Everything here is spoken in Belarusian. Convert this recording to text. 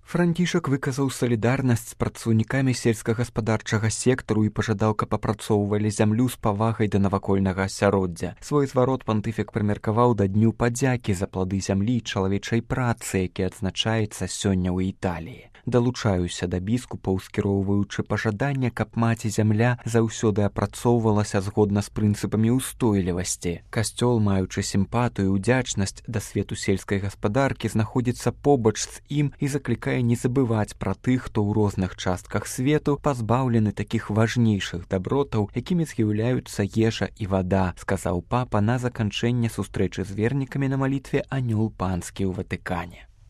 Францішак выказаў салідарнасць з працаўнікамі сельскагаспадарчага сектару і пажадаў, каб апрацоўвалі зямлю з павагай да навакольнага асяроддзя. Свой зварот пантыфік прымеркаваў да дню падзякі за плады зямлі і чалавечай працы, які адзначаецца сёння ў Італіі. Далучаюся да біскупаў, скіроўваючы пажаданне, каб маці зямля заўсёды апрацоўвалася згодна з прынцыпамі ўстойлівасці. Касцёл, маючы сімпатыю і ўдзячнасць да свету сельскай гаспадаркі, знаходзіцца побач з ім і заклікае не забываць пра тых, хто ў розных частках свету пазбаўлены такіх важнейшых дабротаў, якімі з'яўляюцца ежа і вада, сказаў папа на заканчэнне сустрэчы з вернікамі на малітве «Анёл панскі» ў Ватыкане.